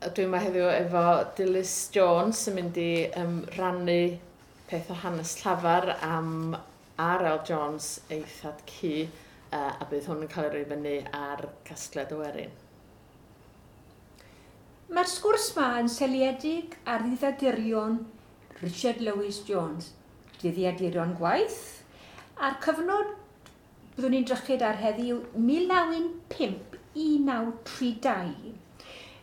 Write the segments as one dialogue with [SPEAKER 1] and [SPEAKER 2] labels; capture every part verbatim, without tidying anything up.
[SPEAKER 1] Dwi yma heddiw efo Dilys Jones sy'n mynd i um, rannu peth o hanes llafar am R L Jones, ei thad cu, uh, a bydd hwn yn cael ei roi fyny ar Casgliad y Werin.
[SPEAKER 2] Mae'r sgwrs ma yn seiliedig ar ddyddiadurion Richard Lewis Jones, dyddiaduron gwaith, a'r cyfnod byddwn ni'n drychyd ar heddiw mil naw un pump i naw tri dau.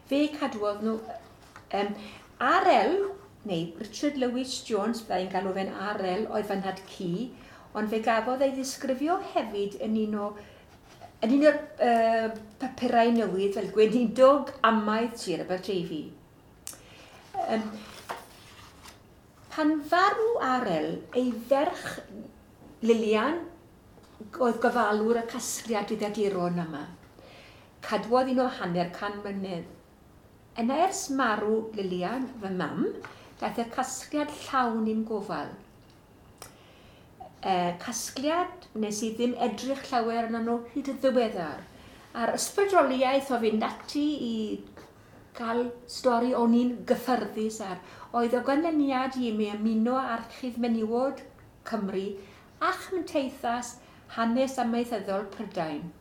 [SPEAKER 2] Fe cadwodd nhw um, R L, neu Richard Lewis Jones, byddai'n galw fe'n R L, oedd fy nhad cu, ond fe gafodd ei ddisgrifio hefyd yn un o yn un o'r uh, papurau newydd fel gweinidog amaeth Sir Aberteifi. Um, pan farw R L, ei ferch Lilian oedd gofalwr y casgliad dyddiaduron yma. Cadwodd un o hanner can mlynedd. Yna ers marw Lilian, fy mam, daeth y casgliad llawn i'm gofal. E, casgliad wnes i ddim edrych llawer arno nhw hyd y ddiweddar. A'r ysbrydoliaeth o fynd ati i gael stori o'n i'n gyffyrddus ar, oedd o ganlyniad i mi ymuno â Archif Menywod Cymru a Chymdeithas Hanes Amaethyddol Prydain.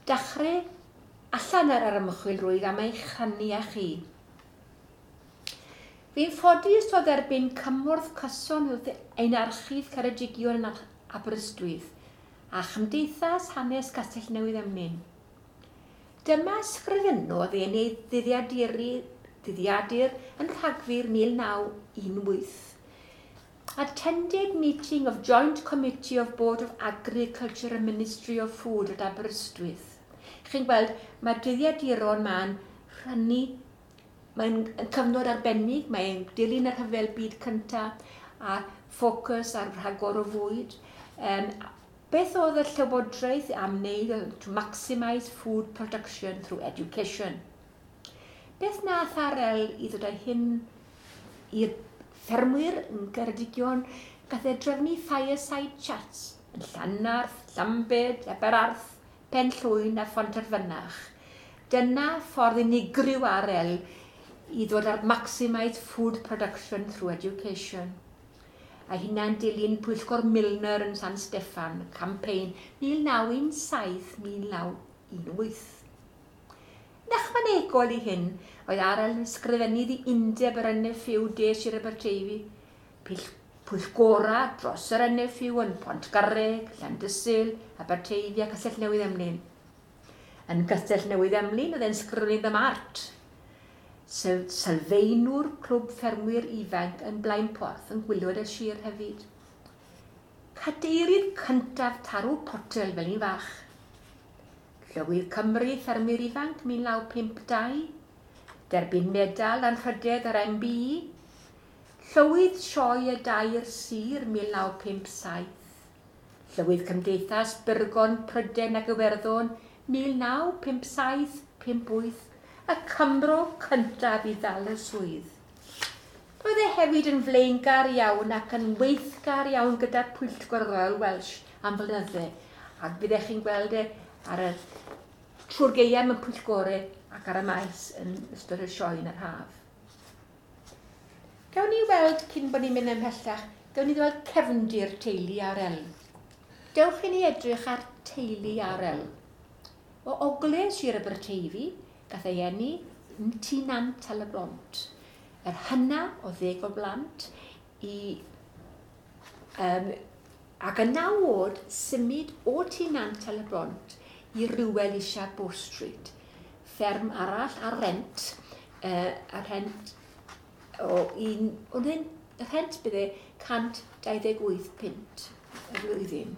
[SPEAKER 2] Dachrau allan ar yr ymchwil rwyf am eich rhannu â chi. Fi'n ffodus o dderbyn cymorth cyson wrth ein archif Ceredigion yn Aberystwyth a Chymdeithas Hanes Castell Newydd Emlyn. Dyma sgrifennodd e yn ei ddyddiaduri, ddyddiadur yn Rhagfyr mil naw un wyth. Attended meeting of Joint Committee of Board of Agriculture and Ministry of Food at Aberystwyth. Chi'n gweld, mae'r dyddiaduron ma'n rhannu, mae'n cyfnod arbennig, mae'n dilyn y rhyfel byd cyntaf a ffocws ar rhagor o fwyd. Um, beth oedd y llywodraeth am wneud to maximise food production through education? Beth nath R L i ddod â hyn i'r ffermwyr yn Ceredigion? Gath e drefnu fireside chats yn Llanarth, Llambed, Aberarth, Penllwyn a Phontarfynach. Dyna ffordd unigryw R L i ddod ar maximise food production through education. A hynna'n dilyn pwyllgor Milner yn San Steffan, campaign mil naw un saith mil naw un wyth. Yn ychwanegol i hyn, oedd R L yn ysgrifennu i undeb yr N F U De Sir Aberteifi, pwyllgora dros yr N F U yn Pontgarreg, Llandysul, Aberteifi a Castell Newydd Emlyn. Yn Castell Newydd Emlyn oedd e'n ysgrifennu am art, sylfaenwr clwb ffermwyr ifanc yn Blaenporth yn gwylio'r y sir hefyd. Cadeirydd cyntaf Tarw Potel fel un fach. Llywydd Cymru Ffermwyr Ifanc mil naw pump dau, derbyn medal anrhydedd yr M B E, Llywydd Sioe y Dair Sir mil naw pump saith, Llywydd Cymdeithas Byrgon Prydain ac Iwerddon mil naw pump saith pump wyth, y Cymro cyntaf i ddal y swydd. Roedd e hefyd yn flaengar iawn ac yn weithgar iawn gyda Pwyllgor Royal Welsh am flynydde, ac byddech chi'n gweld e ar y trwy'r gaeaf mewn pwyllgorau ac ar y maes yn ystod y sioe yn yr haf. Gawn ni weld, cyn bod ni'n mynd ymhellach, gawn ni weld cefndir teulu R L. Dewch i ni edrych ar teulu R L. O ogledd Sir Aberteifi, gath ei eni yn Tŷ Nant Tal-y-bont. Yr hynna o ddeg o blant i, um, ac yn naw oed symud o Tŷ Nant Tal-y-bont i Rywel Isha Bow Street. Fferm arall ar rent, uh, ar rent o un, ond un, y rhent bydde cant dau ddeg wyth punt y flwyddyn.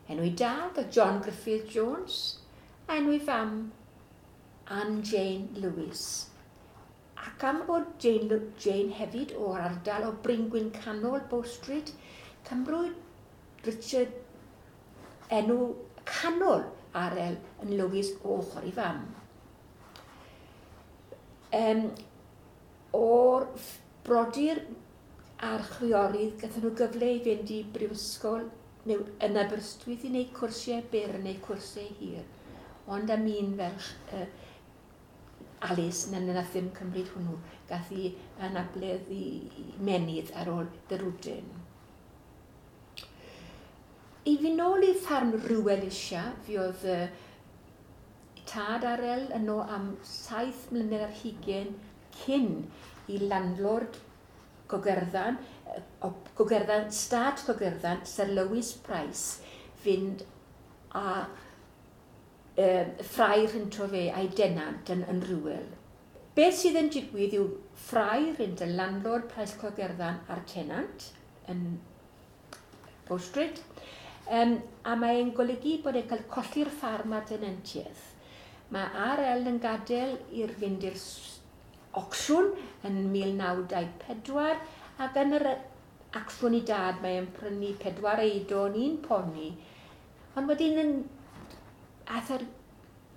[SPEAKER 2] Enw ei dad oedd John Griffith Jones, a enw ei fam Anne Jane Lewis. Ac am bod Jane, Jane hefyd o'r ardal o Bryngwyn Canol, Bow Street, cymrwyd Richard enw canol R L yn Lewis o ochr ei fam. Um, o'r brodyr a'r chwiorydd, gathon nhw gyfle i fynd i brifysgol neu yn Aberystwyth i wneud cwrsiau byr neu cwrsiau hir. Ond am un ferch, uh, Alice, na nath ddim cymryd hwnnw, gath i anabledd i menydd ar ôl dyrwdyn. I fi nôl i ffarm Rhiwel Isia, fi oedd uh, tad R L yno am saith mlynedd ar hugain cyn i landlord Gogerddan, Gogerddan, stad Gogerddan, Sir Lewis Price, fynd a e, ffrau rhynto fe a'i denant yn, yn Rhiwel. Beth sydd yn digwydd yw ffrau rhynt y landlord Price Gogerddan a'r tenant yn Bow Street, um, a mae'n golygu bod e'n cael colli'r ffarm a'r tenantiaeth. Mae R L yn gadael i'r fynd i'r ocsiwn yn mil naw dau pedwar, ac yn yr acsiwn i dad mae'n prynu pedwar eidon, un poni, ond wedyn yn ath yr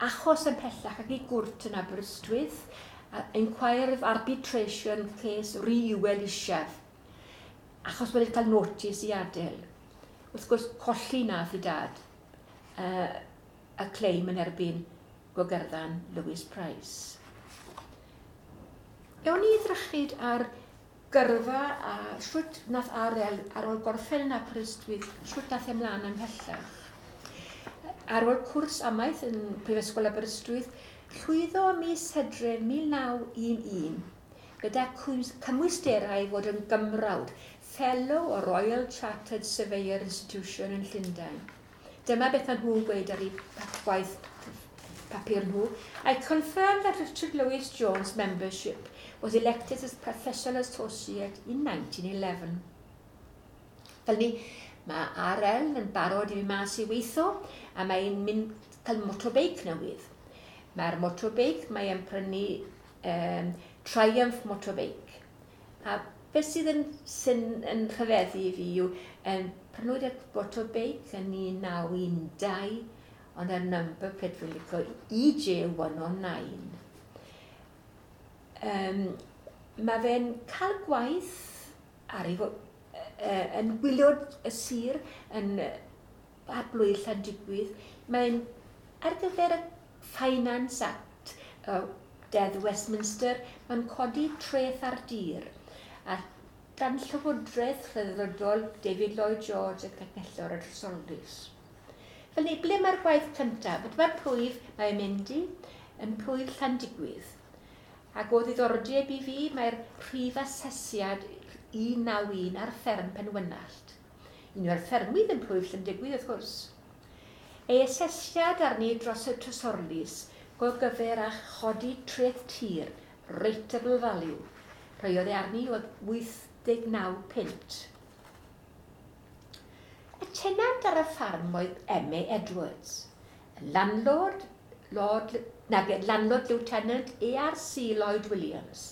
[SPEAKER 2] achos yn pellach ac i gwrt yn Aberystwyth, inquiry of arbitration case Rhiwel Isaf, achos wedi cael notice i adael. Wrth gwrs, colli nath i dad uh, y claim yn erbyn Gogerddan Lewis Price. Ewn ni ddrychyd ar gyrfa a shwt nath R L ar ôl gorffen yn Aberystwyth, shwt nath ymlaen ymhellach. Ar ôl cwrs amaeth yn Prifysgol Aberystwyth, llwyddo ym mis Hydref mil naw un un gyda cymwysterau i fod yn gymrawd, Fellow o Royal Chartered Surveyor Institution yn Llundain. Dyma beth maen nhw'n gweud ar eu gwaith papur nhw. I confirm that Richard Lewis Jones' membership was elected as professional associate in nineteen eleven. Fel ni, mae R L yn barod i fi mas i weithio a mae'n mynd cael motorbike newydd. Mae'r motorbike, mae'n prynu um, Triumph motorbike. A beth sydd yn, sy'n yn rhyfeddu i fi yw, um, prynwyd y motorbike yn un naw un dau, ond y number plate fi'n licio E J one oh nine. Um, mae fe'n cael gwaith ar ei fo-, uh, yn wylio y sir yn ar blwydd Llandigwydd. Mae'n ar gyfer y Finance Act, uh, Deddf Westminster, mae'n codi treth ar dir. A dan Llywodraeth Rhyddfrydol David Lloyd George ac Canghellor y Trysorlys. Fel ni, ble mae'r gwaith cyntaf? Dyma'r plwyf mae'n mynd i, yn plwyf Llandigwydd. Ac o ddiddordeb i fi, mae'r rhif asesiad un naw un ar fferm Penwynallt. Un o'r ffermydd yn plwyf Llandigwydd, wrth gwrs. Ei asesiad arni dros y Trysorlys go gyfer a chodi treth tir, rateable value. Rhoiodd e arni oedd wyth deg naw punt. Y tenant ar y ffarm oedd M A Edwards, y landlord, Lord, nag, landlord Lieutenant A R C Lloyd Williams.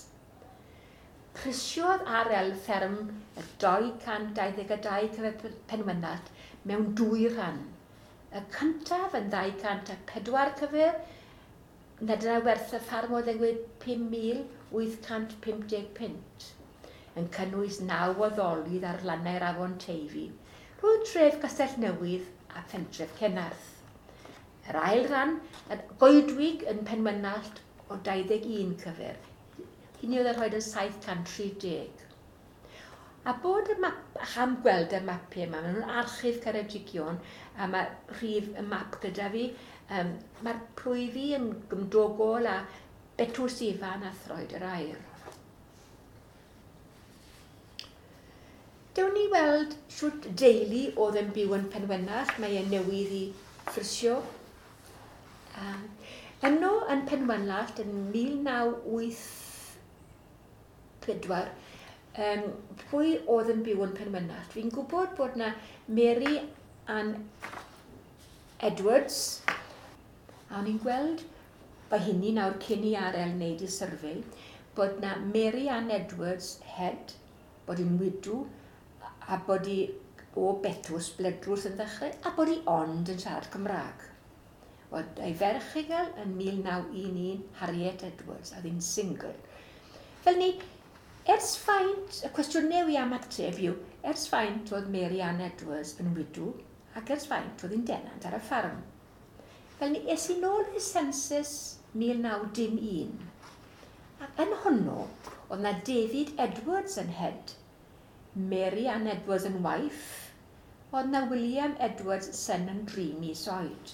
[SPEAKER 2] Prisiodd R L fferm y dau cant dau ddeg a dau cyfer Penwynallt mewn dwy rhan. Y cyntaf yn ddau cant a pedwar cyfer, na dyna werth y ffarm oedd yn gweud pum mil wyth cant pump deg punt, yn cynnwys naw o ddolydd ar lannau'r afon Teifi, rhwng tref Castell Newydd a phentref Cenarth. Yr ail ran, yn goedwig yn Penwynallt o dau ddeg un cyfer, hynny oedd yn rhoi yn saith cant tri deg. A bod y map, ach am gweld y mapiau yma, maen nhw'n archif Ceredigion, a mae rhif y map gyda fi, um, mae'r plwyfi yn gymdogol a Betws Ifan a Throed yr Aur. Dewn ni weld shwt deulu oedd yn byw yn Penwynallt, mae e newydd i ffrysio. Um, yno yn Penwynallt yn mil naw wyth pedwar, um, pwy oedd yn byw yn Penwynallt? Fi'n gwybod bod na Mary Ann Edwards, a o'n i'n gweld, mae hynny nawr cyn i R L wneud ei survey, bod na Mary Ann Edwards head, bod hi'n widw, a bod hi o Betws, Bledrws yn ddechrau, a bod hi ond yn siarad Cymraeg. Oedd ei ferch ei gael yn mil naw un un, Harriet Edwards, a oedd hi'n single. Fel ni, ers faint, y cwestiwn newi am ateb yw, ers faint oedd Mary Ann Edwards yn widw, ac ers faint oedd hi'n denant ar y ffarm. Fel ni, es i nôl i census mil naw dim un. Ac yn hwnnw, oedd na David Edwards yn head, Mary Ann Edwards yn wife, oedd na William Edwards son yn dri mis oed.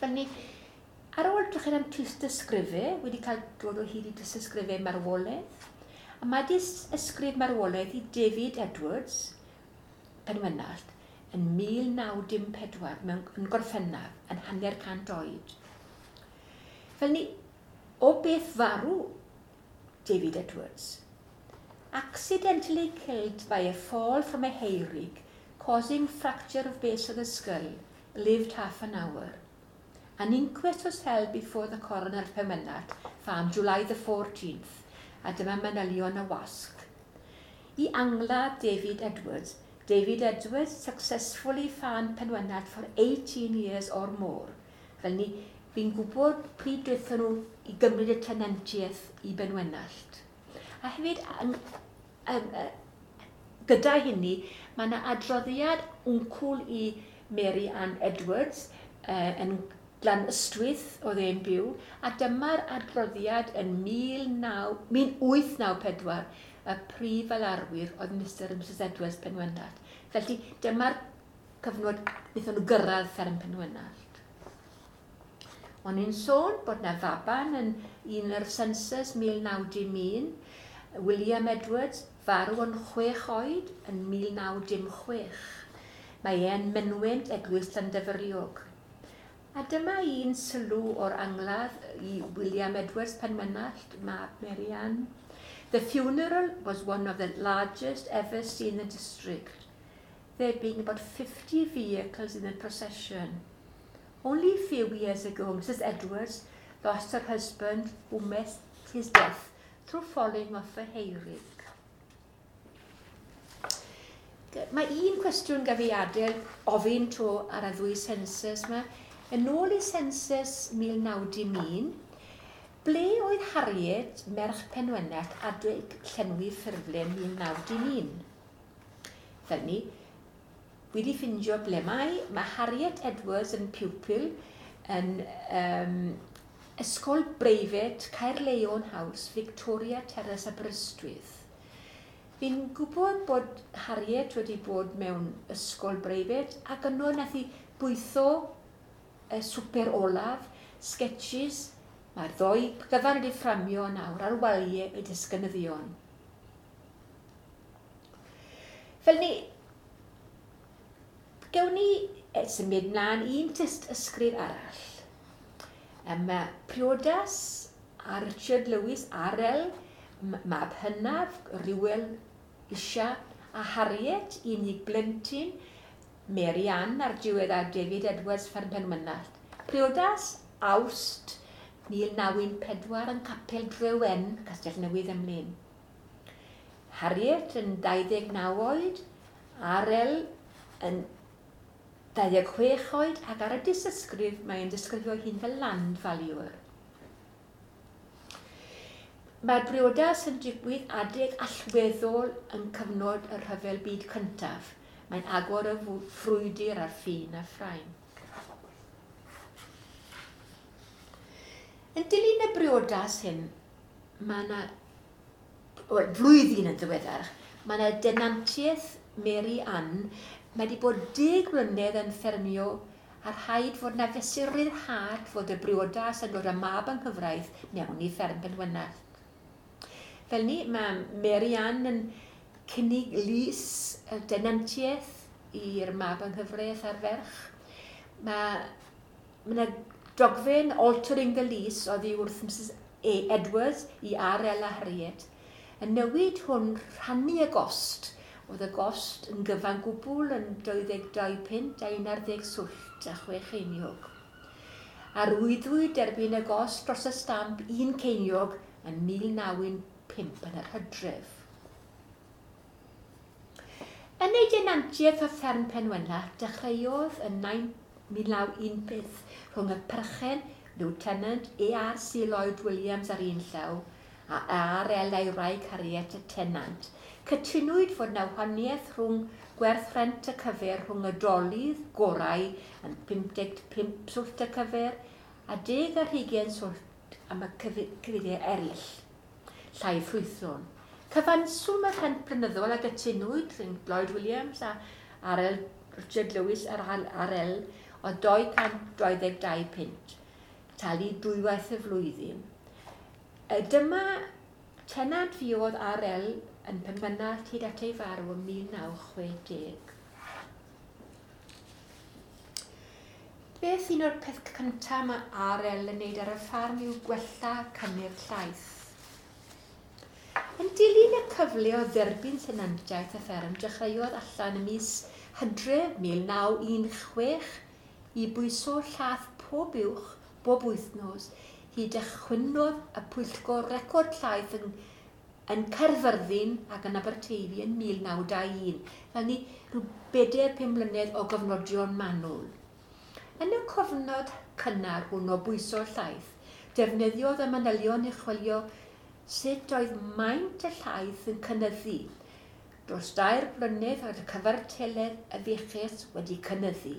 [SPEAKER 2] Fel ni, ar ôl edrych am tystysgrifau, wedi cael dod o hyd i tystysgrifau marwolaeth, a mae ysgrif marwolaeth i David Edwards, Penwennallt, yn mil naw dim pedwar mewn yn Gorffennaf, yn hanner cant oed. Fel ni, o beth farw David Edwards? Accidentally killed by a fall from a hayrick, causing fracture of base of the skull, lived half an hour. An inquest was held before the coroner at Penwennallt, farm, July the fourteenth, a dyma manylion y wasg. I angladd David Edwards, David Edwards successfully farmed Penwennallt for eighteen years or more. Fel ni, fi'n gwybod pryd dwethon nhw i gymryd y tenantiaeth i Benwennallt. A hefyd, um, um, gyda hynny, mae yna adroddiad wncwl i Mary Ann Edwards uh, yn Glan Ystwyth oedd e'n byw, a dyma'r adroddiad yn mil wyth naw pedwar, y prif alarwyr oedd Mister and Missus Edwards Penwennallt. Felly dyma'r cyfnod wnaethon nhw gyrraedd fferm Penwennallt. O'n i'n sôn bod na faban yn un o'r census mil naw dim un, William Edwards, farw yn chwech oed yn mil naw dim chwech. Mae e'n mynwent Eglwys Llandyfyriog. A dyma un sylw o'r angladd i William Edwards Penwennallt, mab Mary Ann. The funeral was one of the largest ever seen in the district, there being about fifty vehicles in the procession. Only a few years ago, Missus Edwards lost her husband, who met his death through falling off a hayrick. Mae un cwestiwn gaf i adael ofyn to ar y ddwy census yma. Yn ôl i census mil naw dim un, ble oedd Harriet, merch Penwennallt, adeg llenwi ffurflen mil naw dim un? Fel ni, wedi ffindio ble mae, mae Harriet Edwards yn pupil yn um, Ysgol Breifat Caerleon House, Victoria Terrace, Aberystwyth. Fi'n gwybod bod Harriet wedi bod mewn ysgol breifat ac yno nath hi bwytho y swper olaf, sketches, mae'r ddoi gyfan wedi fframio nawr ar waliau y disgynyddion. Fel ni, gewn ni symud mlaen un tyst ysgrif arall. Mae priodas a Richard Lewis, R L, mab hynaf, Rywel Isha, a Harriet, unig blentyn, Mary Ann a'r diweddar David Edwards fferm Penwennallt. Priodas, Awst mil naw un pedwar yn Capel Drewen, Castell Newydd Emlyn. Harriet yn dau ddeg naw oed, R L yn dau ddeg chwech oed, ac ar y disysgrif mae'n disgrifio hun fel land valuer. Mae'r briodas yn digwydd adeg allweddol yn cyfnod y Rhyfel Byd Cyntaf. Mae'n agor y frwydr ar ffin a Ffrainc. Yn dilyn y briodas hyn, mae yna, wel, flwyddyn yn ddiweddar, mae yna denantiaeth Mary Ann, mae wedi bod deg mlynedd yn ffermio a rhaid fod na fesur ryddhad fod y briodas yn dod â mab yng nghyfraith mewn i fferm Penwennallt. Fel ni, mae Mary Ann yn cynnig lys y denantiaeth i'r mab yng nghyfraith a'r ferch. Mae yna dogfen altering the lease oddi wrth Missus A Edwards i R L a Harriet. Y newid hwn rhannu y gost. Oedd y gost yn gyfan gwbl yn dau ddeg dau punt a un ar ddeg swllt a chwe cheiniog. Arwyddwyd derbyn y gost dros y stamp un ceiniog yn mil naw un pump yn yr hydref. Yn ei denantiaeth o fferm Penwennallt, dechreuodd yn mil naw un pump rhwng y perchen, Lieutenant A R C Lloyd Williams ar un llaw a R L a'i wraig Harriet y tenant. Cytunwyd fod na wahaniaeth rhwng gwerth rhent y cyfer rhwng y dolydd gorau yn pum deg pump swllt y cyfer a deg ar hugain swllt am y cyfeiriau eraill, llai ffrwythlon. Cyfanswm y rhent blynyddol a gytunwyd rhwng Lloyd Williams a R L Richard Lewis a'r R L o dau cant dau ddeg dau punt, talu dwywaith y flwyddyn. Dyma tenant fuodd R L yn Penmynallt hyd at ei farw ym mil naw chwe deg. Beth un o'r peth cyntaf mae R L yn wneud ar y ffarm yw gwella cynnyrch llaeth. Yn dilyn y cyfle o dderbyn tenantiaeth y fferm, dechreuodd allan ym mis Hydref mil naw un chwech i bwyso llaeth pob uwch bob wythnos hyd ychwynnodd y pwyllgor record llaeth yn, yn Caerfyrddin ac yn Aberteifi yn mil naw dau un, fel ni rhyw bedair pum mlynedd o gofnodion manwl. Yn y cofnod cynnar hwn o bwyso llaeth, defnyddiodd y manylion i chwilio sut oedd maint y llaeth yn cynyddu. Dros dair blynedd oedd y cyfartaledd y fuches wedi cynyddu.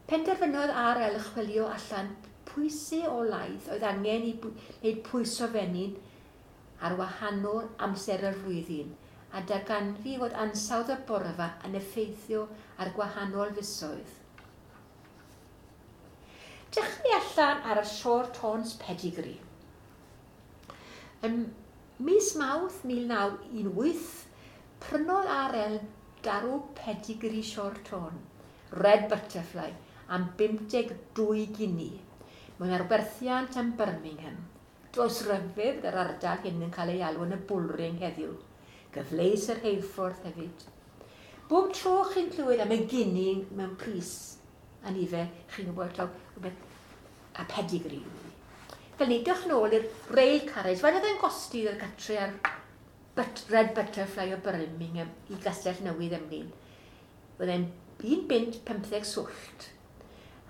[SPEAKER 2] Penderfynodd R L chwilio allan pwysau o laeth oedd angen i wneud pwyso fenyn ar wahanol amser yr flwyddyn, a darganfu fod ansawdd y borfa yn effeithio ar gwahanol fisoedd. Dechrau allan ar y Shorthorns pedigree. Ym mis Mawrth mil naw un wyth, prynodd R L darw pedigree Shorthorn, Red Butterfly, am bump deg dwy gini, mewn arwerthiant am Birmingham. Does ryfedd yr ardal hyn yn cael ei alw yn y Bullring heddiw. Gyfleus yr rheilffordd hefyd. Bob tro chi'n clywed am y gini mewn pris, a nifer, chi'n gwybod taw rhywbeth a pedigree. Fel ni, dewch nôl i'r rail carriage. Faint oedd e'n gosti i'r gatre ar but, Red Butterfly o Birmingham i Gastell Newydd Emlyn? Oedd e'n un bunt pymtheg swllt.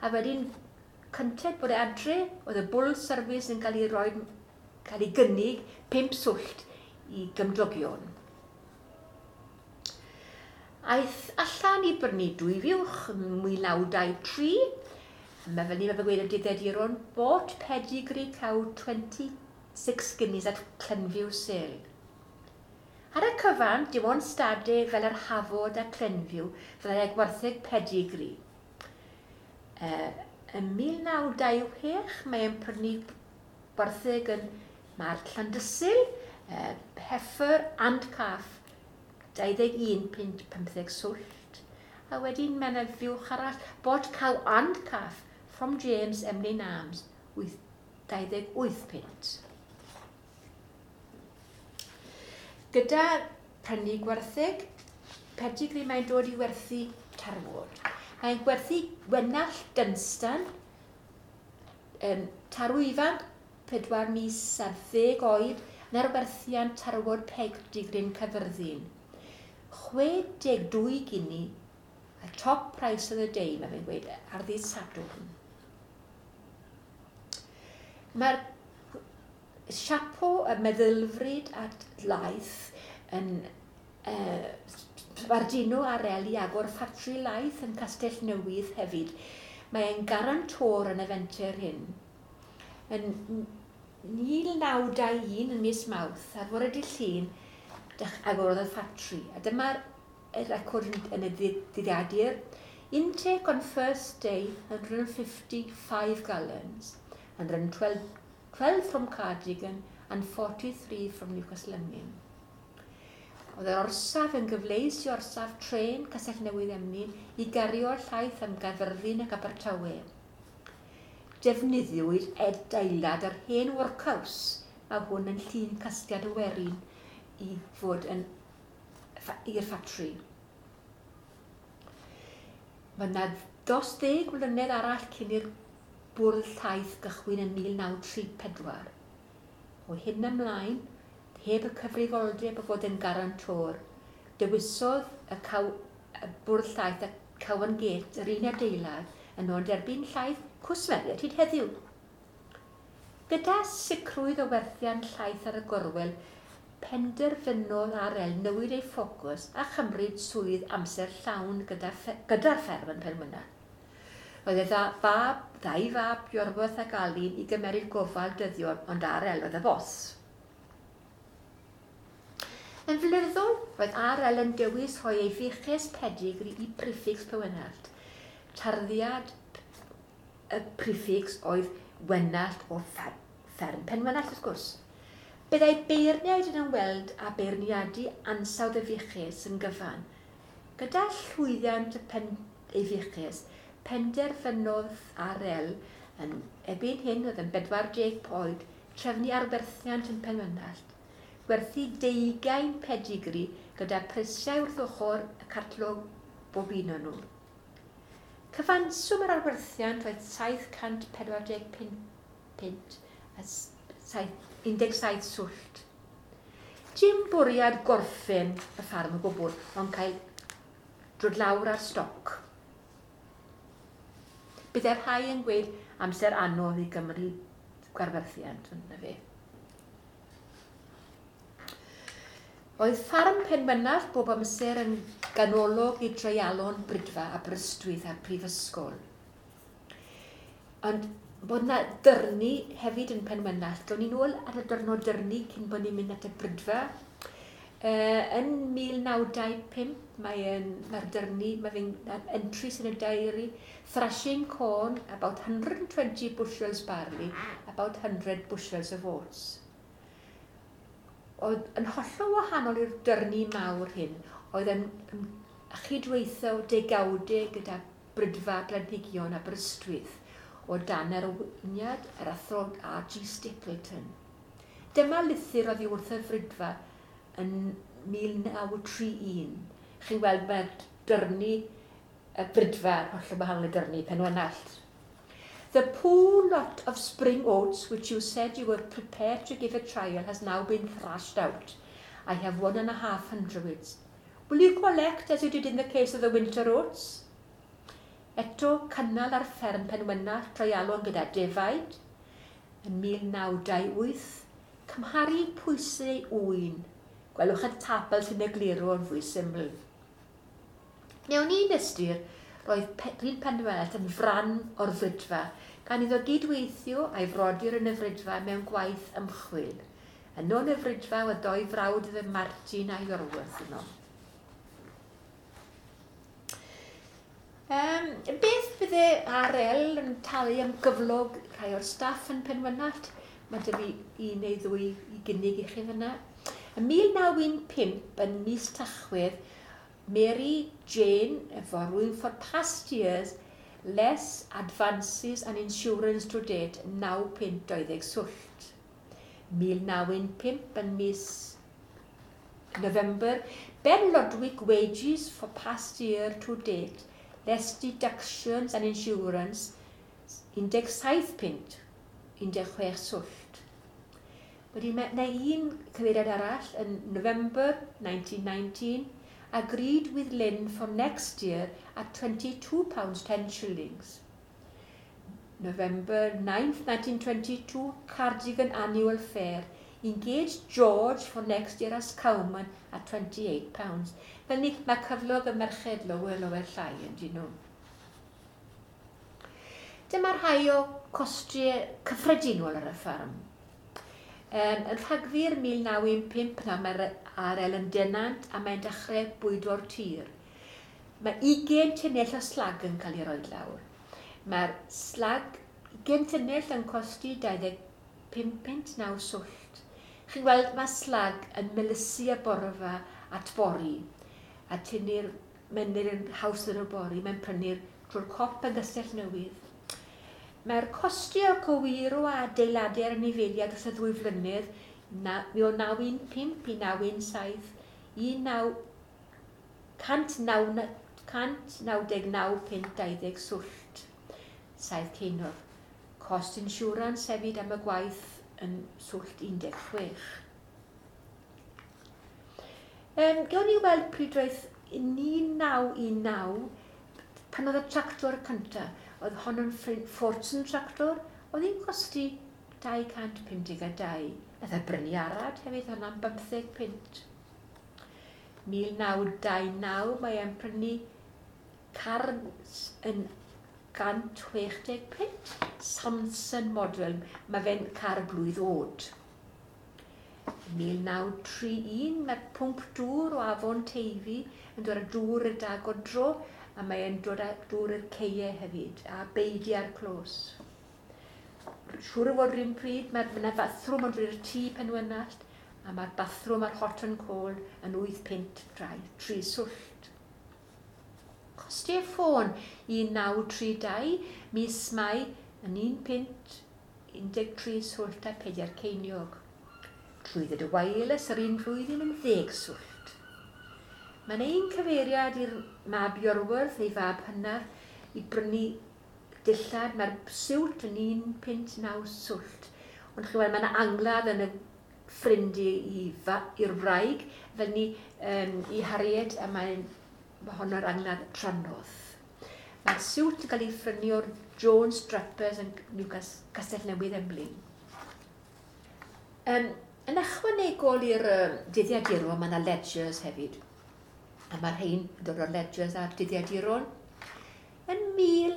[SPEAKER 2] A wedyn, cynted bod e adre, oedd y bull service yn cael ei roi, cael ei gynnig pump swllt i gymdogion. Aeth allan i brynu dwy fuwch ym mil naw dau tri, a mae fel ni, mae fe gweud y dyddiaduron, bought pedigree cow twenty-six guineas at Clenview sale. Ar y cyfan, dim ond stadau fel yr Hafod a Clenview fyddai gwartheg pedigree. Uh, ym mil naw dau chwech, mae'n prynu gwartheg yn Mart Llandysul, uh, heifer and calf, dau ddeg un punt pymtheg swllt. A wedyn mae yna fuwch arall, bought cow and calf from James Emlyn Arms, dau ddeg wyth punt. Gyda prynu gwartheg, pedigree mae'n dod i werthu tarwod. Mae'n gwerthu Gwenallt Dunstan, um, tarw ifanc, pedwar mis ar ddeg oed, yn arwerthiant tarwod pedigrin Caerfyrddin. chwe deg dwy gini, a top price of the day, mae fe'n gweud, ar ddydd Sadwrn. Mae'r siapo y meddylfryd at laeth yn uh, sbarduno R L i agor ffatri laeth yn Castell Newydd hefyd. Mae'n garantor yn y fenter hyn. Yn mil naw dau un yn mis Mawrth, ar fore dydd Llun, agorodd y ffatri. A dyma'r record yn y dyddiadur. Intake on first day, one hundred fifty-five gallons, one hundred twelve from Cardigan and forty-three from Newcastle Emlyn. Oedd yr orsaf yn gyfleus i orsaf trên Castell Newydd Emlyn i gario'r llaeth am Gaerfyrddin ac Abertawe. Defnyddiwyd adeilad yr hen workhouse, mae hwn yn llun casgliad y werin i fod yn i'r ffatri. Mae yna dros ddeg mlynedd arall cyn i'r bwrdd llaeth gychwyn yn mil naw tri pedwar. O hyn ymlaen, heb y cyfrifoldeb o fod yn garantor, dewisodd y, caw, y bwrdd llaeth a Cowan Gate yr un adeilad yn ôl derbyn llaeth cwsmeriaid hyd heddiw. Gyda sicrwydd o werthiant llaeth ar y gorwel, penderfynodd R L newid ei ffocws a chymryd swydd amser llawn gyda'r gyda fferm yn Penmynallt. Roedd ei fab ddau fab, Iorwerth ac Alun, i gymeryd gofal dyddiol, ond R L oedd y bos. Yn flynyddol, roedd R L yn dewis rhoi ei fuches pedigri i prefix Penwenallt. Tarddiad y prefix oedd Wenallt o fferm Penwenallt, wrth gwrs. Byddai beirniaid yn ymweld â beirniadu ansawdd y fuches yn gyfan. Gyda llwyddiant y pen, ei fuches, penderfynodd R L yn erbyn hyn oedd yn bedwar deg oed trefnu arwerthiant yn Penwenallt, gwerthu deugain pedigri gyda prisiau wrth ochr y catalog bob un o'n nhw. Cyfanswm yr arwerthiant oedd saith cant pedwar deg pump punt a un deg saith swllt. Dim bwriad gorffen y ffarm o gwbl, ond cael dod lawr ar stoc. Byddai rhai yn gweud amser anodd i Gymru gwarwerthiant, yna fe. Oedd ffarm Penwenallt bob amser yn ganolog i dreialon Brydfa a Aberystwyth a'r Prifysgol. Ond bod yna dyrnu hefyd yn Penwenallt. Gawn ni nôl ar y dyrnod dyrnu cyn bod ni'n mynd at y Brydfa. Uh, yn mil naw dau pump mae'r mae dyrnu, mae fe'n entries yn y diary, thrashing corn, about one hundred and twenty bushels barley, about one hundred bushels of oats. Oedd yn hollol wahanol i'r dyrnu mawr hyn, oedd yn chydweithio degawdau gyda Brydfa Blanhigion Aberystwyth o dan arweiniad yr athro R G Stapleton. Dyma lythyr oddi wrth y Frydfa yn mil naw tri un. Chi'n gweld mae dyrnu y Brydfa, hollol wahanol i dyrnu Penwenallt. The poor lot of spring oats which you said you were prepared to give a trial has now been thrashed out. I have one and a half hundreds. Will you collect as you did in the case of the winter oats? Eto cynnal ar fferm Penwenallt treialon gyda defaid yn mil naw dau wyth, cymharu pwysau ŵyn. Gwelwch y tabl sy'n egluro yn fwy syml. Mewn un ystyr, roedd Rhyd Penwenallt yn fran o'r Frydfa, gan iddo gydweithio a'i frodyr yn y Frydfa mewn gwaith ymchwil. Yno yn y Frydfa oedd doi frawd iddo Martin a Iorwerth yno. Um, beth bydde R L yn talu am gyflog rhai o'r staff yn Penwenallt? Mae dy fi un neu ddwy i gynnig i chi fyna. Yn mil naw un pump yn mis Tachwedd, Mary Jane, efo rwy'n for past years, less advances and insurance to date, naw punt dau ddeg swllt. mil naw un pump yn mis November, Ben Lodwick wages for past year to date, less deductions and insurance, un deg saith punt, un deg chwech swllt. Wedyn mae yna un cyfeiriad arall yn November nineteen nineteen, agreed with Lynn for next year at twenty-two pounds ten shillings. November ninth, nineteen twenty-two, Cardigan Annual Fair, engaged George for next year as cowman at twenty-eight pounds. Fel ni, mae cyflog y merched lower, lower llai yn dyn nhw. Dyma rhai o costiau cyffredinol ar y ffarm. Um, yn Rhagfyr mil naw un pump na mae'r R L yn denant a mae'n dechrau bwydo'r tir. Mae ugain tunnell o slag yn cael ei roi lawr. Mae'r slag ugain tunnell yn costi dau ddeg pump punt naw swllt. Chi'n gweld mae slag yn melysu y borfa at bori a tynnu'r menyn yn haws yn y bori, mae'n prynu'r drwy'r cop yn Gastell Newydd. Mae'r costio cywiro a adeiladau ar anifeiliaid dros y ddwy flynedd, o naw un pump i naw un saith, un naw cant naw deg naw punt dau ddeg swllt, saith ceiniog. Cost insurance hefyd am y gwaith yn swllt un deg chwech. Um, gawn ni weld pryd roedd un naw un naw, pan oedd y tractor cyntaf, oedd hon yn Fortune tractor, oedd hi'n costi dau cant pum deg a dau. Nath e brynu arad hefyd, hwnna'n bymtheg punt. mil naw dau naw, mae e'n prynu car yn cant chwech deg punt. Samson model, mae fe'n car blwydd oed. mil naw tri un, mae'r pwmp dŵr o Afon Teifi yn dod â dŵr i'r dagodro, a mae'n dod â dŵr i'r ceie hefyd, a beidio ar clos. Siŵr o fod rhywun pryd, mae yna bathrwm yn dod i'r tŷ Penwynallt, a mae'r bathrwm a'r hot and cold yn wyth punt tri swllt. Costiau ffôn un naw tri dau, mis Mai yn un punt un deg tri swllt a pedair ceiniog. Trwydded y wireless yr un flwyddyn yn ddeg swllt. Mae'n ein cyfeiriad i'r mab Iorwerth, ei fab hynaf, i brynu dillad. Mae'r siwt yn un punt naw swllt. Ond chi'n gweld, mae yna angladd yn y ffrind i'r wraig, fel ni um, i Harriet, a mae'n ma honno'r angladd trannodd. Mae'r siwt yn cael ei phrynu o'r Jones Drapers yn Castell Newydd Emlyn. Um, yn ychwanegol i'r um, dyddiaduron, mae yna ledgers hefyd. A mae'r rhain yn dod o'r ledgers a'r dyddiaduron. Yn mil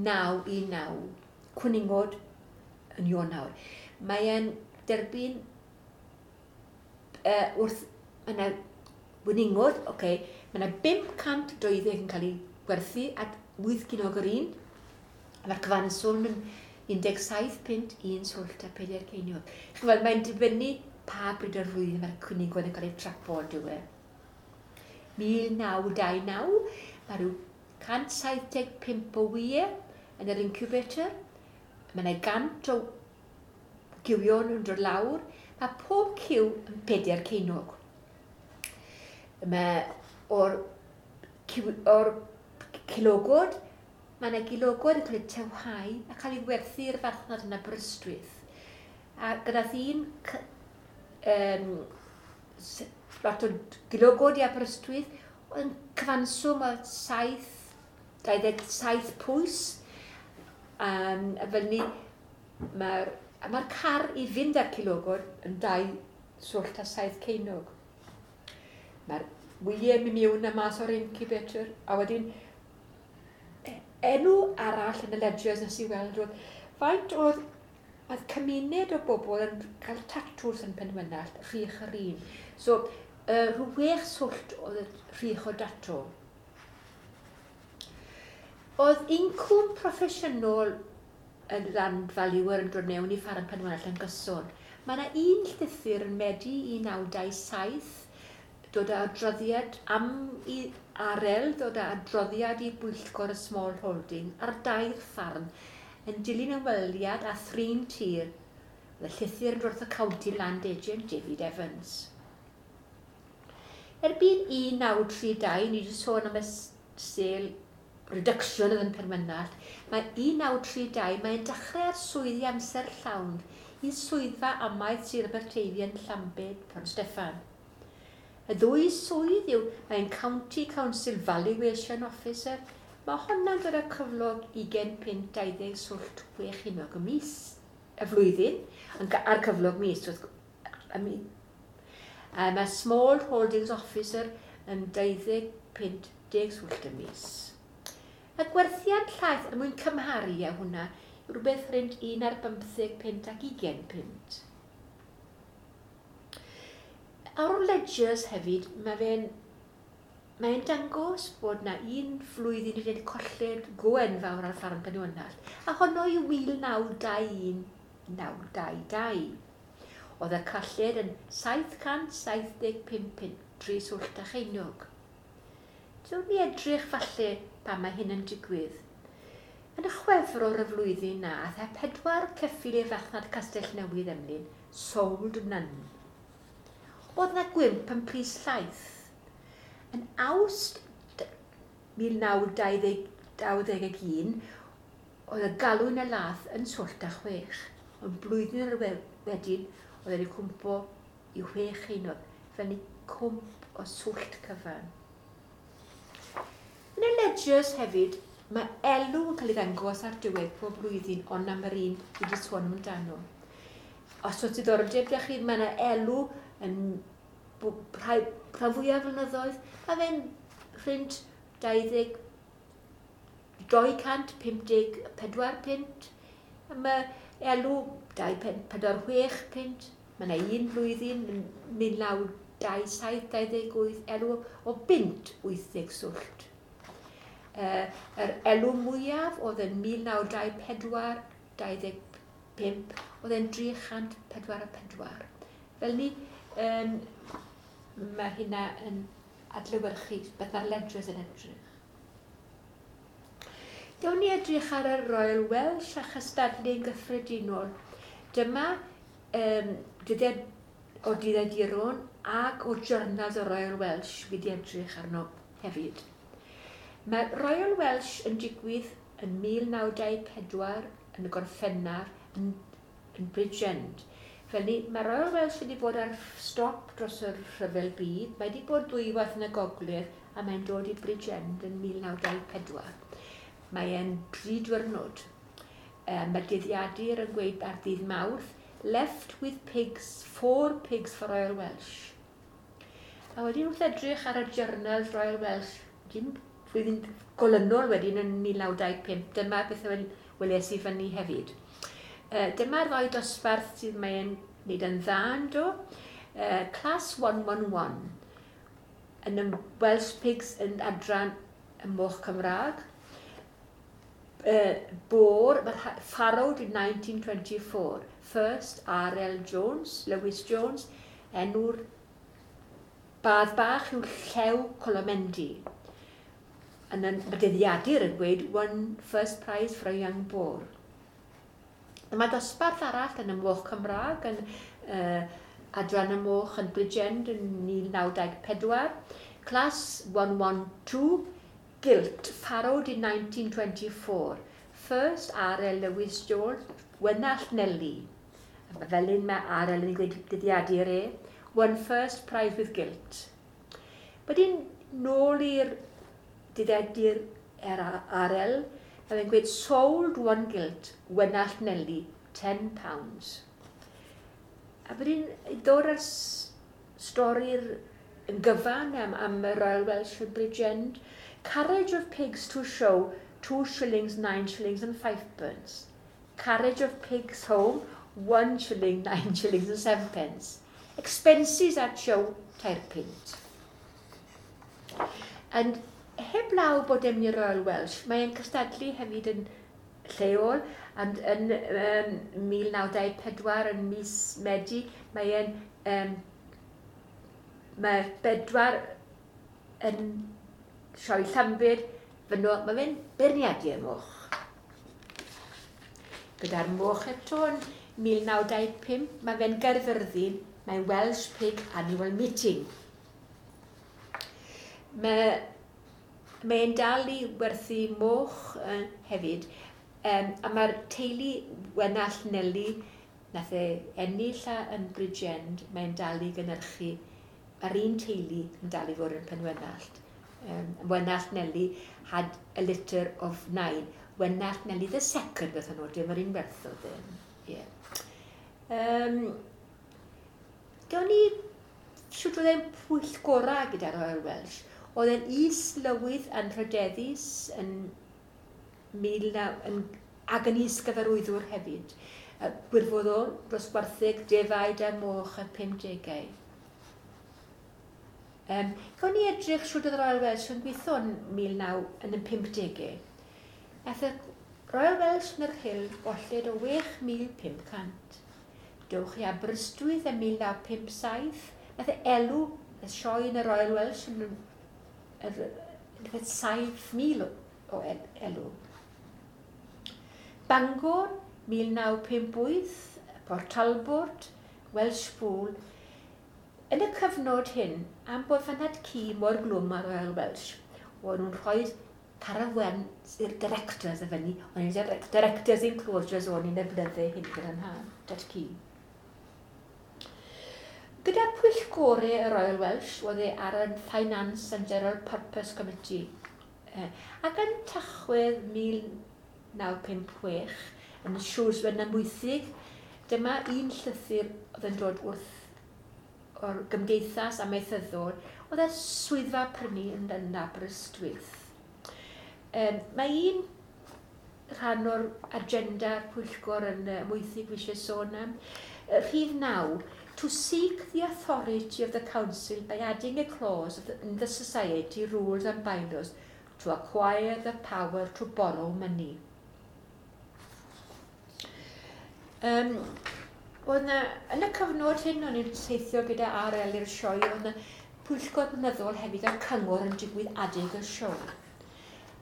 [SPEAKER 2] naw un naw, cwningod yn Ionawr, mae e'n derbyn uh, wrth yna gwningod, okay, mae yna bump cant deuddeg yn cael ei gwerthu at wyth ceiniog yr un. Mae'r cyfanswm yn un deg saith punt un swllt a pedair ceiniog. Chi'n gweld, mae'n dibynnu pa bryd o'r flwyddyn mae'r cwningod yn cael ei trapo yn dyw e. mil naw dau naw, mae rhyw cant saith deg pump o wyau yn yr incubator. Mae yna gant o gywion yn dod lawr. Mae pob cyw yn pedair ceiniog. Mae o'r, o'r cilogod, mae yna gilogod yn cael eu tewhau a cael ei werthu i'r farchnad yn Aberystwyth. A gyda un um, lot o gilogod i Aberystwyth, yn cyfanswm o saith, dau ddeg saith pwys. Um, a fel ni, mae'r mae'r car i fynd â'r cilogod yn dau swllt a saith ceiniog. Mae'r wyau mynd mewn a mas o'r incubator, a wedyn enw arall yn y ledgers nes i weld oedd faint oedd oedd cymuned o bobl yn cael tatws yn Penwynallt, rhych yr un. So, uh, rhyw wech swllt oedd y rhych o datw. Oedd incwm proffesiynol y land valuer yn dod mewn i ffarm Penwynallt yn gyson. Mae yna un llythyr yn Medi un naw dau saith, dod â adroddiad am i Arel, dod â adroddiad i bwyllgor y Small Holding ar dair ffarm yn dilyn ymweliad a thrin tir. Oedd y llythyr yn dod wrth y County Land Agent David Evans. Erbyn un naw tri dau, ni wedi sôn am y sale reduction oedd yn Penwynallt, mae un naw tri dau, mae'n dechrau ar swyddi amser llawn i swyddfa amaeth Sir Aberteifi yn Llambed, Pont Steffan. Y ddwy swydd yw, mae'n County Council Valuation Officer. Mae honna'n dod â cyflog ugain punt dau ddeg swllt chwech ceiniog y mis, y flwyddyn, a'r cyflog mis. A mae Small Holdings Officer yn dau ddeg punt deg swllt y mis. Y gwerthiant llaeth, er mwyn cymharu â hwnna, yw rhywbeth rhynt un ar bymtheg punt ac ugain punt. Ar ledgers hefyd, mae fe'n mae'n dangos bod na un flwyddyn wedi colled go enfawr ar ffarm Penwynallt, a honno yw mil naw dau un naw dau dau. Oedd y colled yn saith cant saith deg pump punt tri swllt a cheiniog. Dwi'n ni edrych falle pan mae hyn yn digwydd. Yn y Chwefror y flwyddyn na, aeth e pedwar ceffyl i'r farchnad Castell Newydd Emlyn, sold none. Oedd na gwymp yn pris llaeth. Yn Awst mil naw dau ddeg un, oedd y galw yn y lath yn swllt a chwech. Ond blwyddyn yr wedyn, oedd wedi cwmpo i chwech ceiniog, fel ni cwmp o swllt cyfan. Yn y ledgers hefyd, mae elw yn cael ei ddangos ar diwedd pob blwyddyn, ond am yr un wedi sôn amdano. Os oes diddordeb da chi, mae yna elw yn rhai, rhan fwyaf flynyddoedd, a fe'n rhynt dau ddeg dau cant pum deg pedwar punt, mae elw dau punt pedwar chwech punt, mae yna un flwyddyn yn mil naw dau saith dau ddeg wyth elw o bunt wyth deg swllt. Uh, yr elw mwyaf oedd yn mil naw dau pedwar dau ddeg pump, oedd e'n dri chant pedwar a pedwar. Fel ni, um, mae hynna yn adlewyrchu beth mae'r ledgers yn edrych. Gawn ni edrych ar y Royal Welsh a chystadlu'n gyffredinol. Dyma um, dyddiad o dyddiaduron ac o journals y Royal Welsh wedi edrych arno hefyd. Mae Royal Welsh yn digwydd yn mil naw dau pedwar yn y Gorffennaf yn, yn Bridgend. Fel ni, mae Royal Welsh wedi bod ar stop dros y rhyfel byd. Mae wedi bod dwywaith yn y gogledd a mae'n dod i Bridgend yn mil naw dau pedwar. Mae e'n dri diwrnod. Um, mae dyddiadur yn gweud ar ddydd Mawrth, left with pigs, four pigs for Royal Welsh. A wedyn wrth edrych ar y journals Royal Welsh, dim flwyddyn golynol wedyn yn mil naw dau pump, dyma beth weles i fyny hefyd. Uh, dyma'r ddau dosbarth sydd mae'n wneud yn dda yn do. Uh, class one one one, yn y Welsh Pigs yn adran y moch Cymraeg. Uh, Boar, farrowed in nineteen twenty-four. First, R L Jones, Lewis Jones, enw'r badd bach yw Llew Colomendy. Yn y dyddiadur yn gweud one first prize for a young boar. Mae dosbarth arall yn y moch Cymraeg, yn uh, adran y moch yn Bridgend yn mil naw dau pedwar. Class one one two, Gilt, farrowed in nineteen twenty-four. First, R L Lewis Jones, Wenallt Nelly. Fel un mae R L yn gweud dyddiadur e. Won first prize with gilt. Wedyn, nôl i'r dyddiadur R L, mae fe'n gweud sold one gilt, Wenallt Nelly, ten pounds. A wedyn, dod ar stori'r yn gyfan am, am y Royal Welsh yn Bridgend, carriage of pigs to show, two shillings, nine shillings and five pence. Carriage of pigs home, one shilling, nine shillings and seven pence. Expenses at show, tair punt. And heblaw bod e'n i'r Royal Welsh, mae'n cystadlu hefyd yn lleol, and yn um, mil naw dau pedwar yn mis Medi, mae'n um, mae bedwar yn sioe Llambed, fyno, mae fe'n beirniadu y moch. Gyda'r moch eto yn mil naw dau pump, mae fe'n Gaerfyrddin, mae'n Welsh Pig Annual Meeting. Mae, mae'n dal i werthu moch uh, hefyd, um, a mae'r teulu Wenallt Nelly, nath e ennill yn Bridgend, mae'n dal i gynhyrchu, mae'r un teulu yn dal i fod yn Penwenallt. Um, Wenallt Nelly had a litter of nine. Wenallt Nelly the second, beth nhw, dim yr un werthodd e. Yeah. Um, gawn ni shwt oedd e'n pwyllgora gyda'r Royal Welsh. Oedd e'n is-lywydd anrhydeddus yn mil naw, yn, ac yn is-gyfarwyddwr hefyd. Gwirfoddol dros gwartheg, defaid a moch y pumdegau. Um, gawn ni edrych shwt oedd y Royal Welsh yn gweithio yn mil naw yn y pumdegau. Nath y Royal Welsh yn yr Hill golled o chwech mil pump cant. Dewch i Aberystwyth ym mil naw pump saith. Nath e elw y sioe yn y Royal Welsh yn y saith mil o elw. Bangor, mil naw pump wyth, Port Talbot, Welshpool. Yn y cyfnod hyn, am bod fy nhad-cu mor glwm ar Royal Welsh, o'n nhw'n rhoi caravan i'r directors y fyny, o'n i'n directors enclosures o'n i'n y blynydde hyn gyda'n nhad-cu. Gyda pwyllgorau y Royal Welsh, oedd e ar y Finance and General Purpose Committee. Ac yn Tachwedd mil naw pump chwech, yn Shrewsbury yn Amwythig, dyma un llythyr oedd yn dod wrth o'r gymdeithas amaethyddol, oedd y swyddfa prynu yn, yn Aberystwyth. Um, mae un rhan o'r agenda'r pwyllgor yn uh, Amwythig fi eisiau sôn am. Rhif naw, to seek the authority of the council by adding a clause of the, in the society rules and bylaws to acquire the power to borrow money. Um, oedd na, yn y cyfnod hyn, o'n i'n teithio gyda R L i'r sioe, oedd na pwyllgor blynyddol hefyd a'r cyngor yn digwydd adeg y sioe.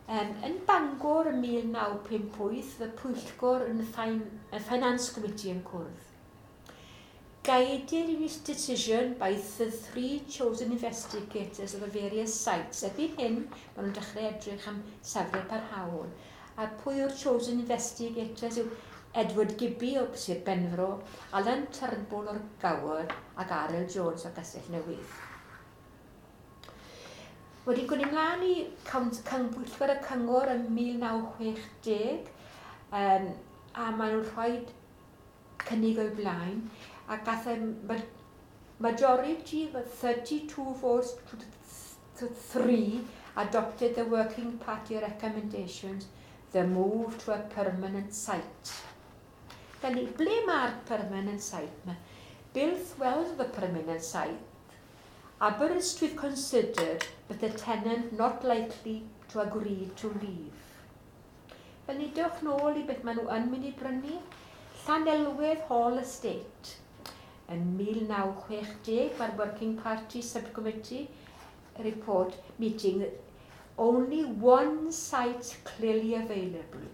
[SPEAKER 2] Um, yn Bangor ym mil naw pump wyth, y pwyllgor yn y Finance Committee yn cwrdd. Guided in its decision by the three chosen investigators of the various sites. Erbyn hyn, maen nhw'n dechrau edrych am safle parhaol. A pwy o'r chosen investigators yw Edward Gibby o Sir Benfro, Alan Turnbull o'r Gower ac R L Jones o Gastell Newydd. Wedi gwneud ymlaen i pwyllgor y cyngor ym mil naw chwech deg, um, a maen nhw'n rhoi cynnig o'i blaen, a gath e majority of thirty-two votes to three adopted the Working Party recommendations, the move to a permanent site. Felly, ble mae'r permanent site? Mae Builth Wells the permanent site. Aberystwyth considered, but the tenant not likely to agree to leave. Felly, dewch nôl i beth maen nhw yn mynd i brynu. Llanelwedd Hall Estate. Yn mil naw chwech deg, mae'r Working Party Subcommittee report meeting only one site clearly available.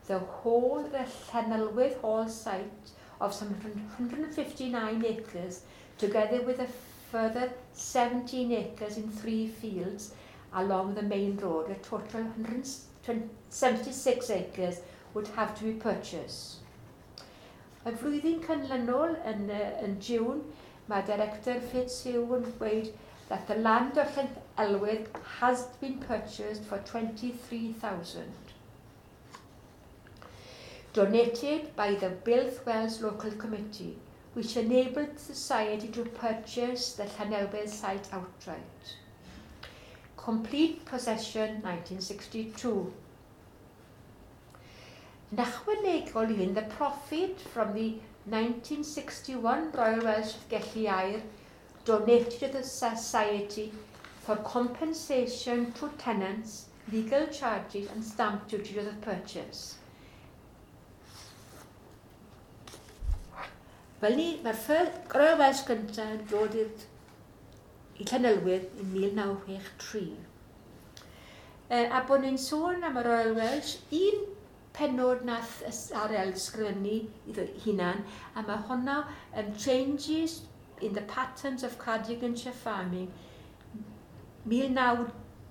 [SPEAKER 2] The whole, the Llanelwedd Hall site of some one hundred fifty-nine acres, together with a further seventeen acres in three fields along the main road, a total one hundred seventy-six acres would have to be purchased. Y flwyddyn canlynol yn, yn June, mae Director Fitzhugh yn dweud that the land of Llanelwedd has been purchased for twenty-three thousand. Donated by the Builth Wells Local Committee, which enabled the society to purchase the Llanelwedd site outright. Complete possession nineteen sixty-two. Yn ychwanegol i hyn, the profit from the nineteen sixty-one Royal Welsh Gelli Aur donated to the society for compensation to tenants, legal charges and stamp duty to the purchase. Fel ni, mae'r Royal Welsh gyntaf yn dod i Llanelwedd yn mil naw chwech tri. E, a bod ni'n sôn am y Royal Welsh, un pennod nath R L sgrifennu iddo hunan, a mae hwnna yn Changes in the Patterns of Cardiganshire Farming mil naw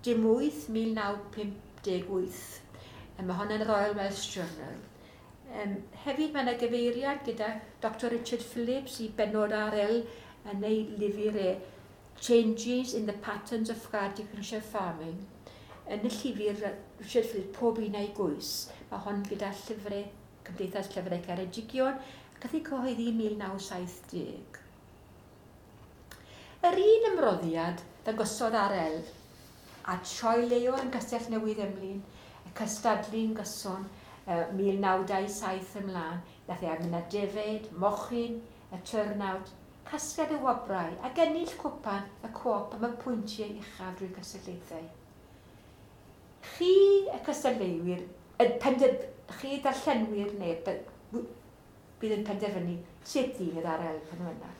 [SPEAKER 2] dim wyth mil naw pump deg wyth. A mae hwnna'n Royal Welsh Journal. Um, hefyd mae yna gyfeiriad gyda Doctor Richard Phillips i bennod R L yn ei lyfr e Changes in the Patterns of Cardiganshire Farming. Yn y llyfr Richard Phillips, pob un a'i gwys. Mae hon gyda llyfrau, Cymdeithas Llyfrau Ceredigion, ac gath ei cyhoeddi mil naw saith deg. Yr un ymroddiad ddangosodd R L a sioe leol yn Castell Newydd Emlyn, y cystadlu'n gyson, mil naw dau saith ymlaen, nath e mynd â defaid, mochyn, y turnout, casgliad y wobrau ac ennill cwpan y co-op am y pwyntiau uchaf drwy cystadlaethau. Chi y cystadleuwyr, y pender, chi darllenwyr neu bydd yn penderfynu sut ddyn yr R L pan yna.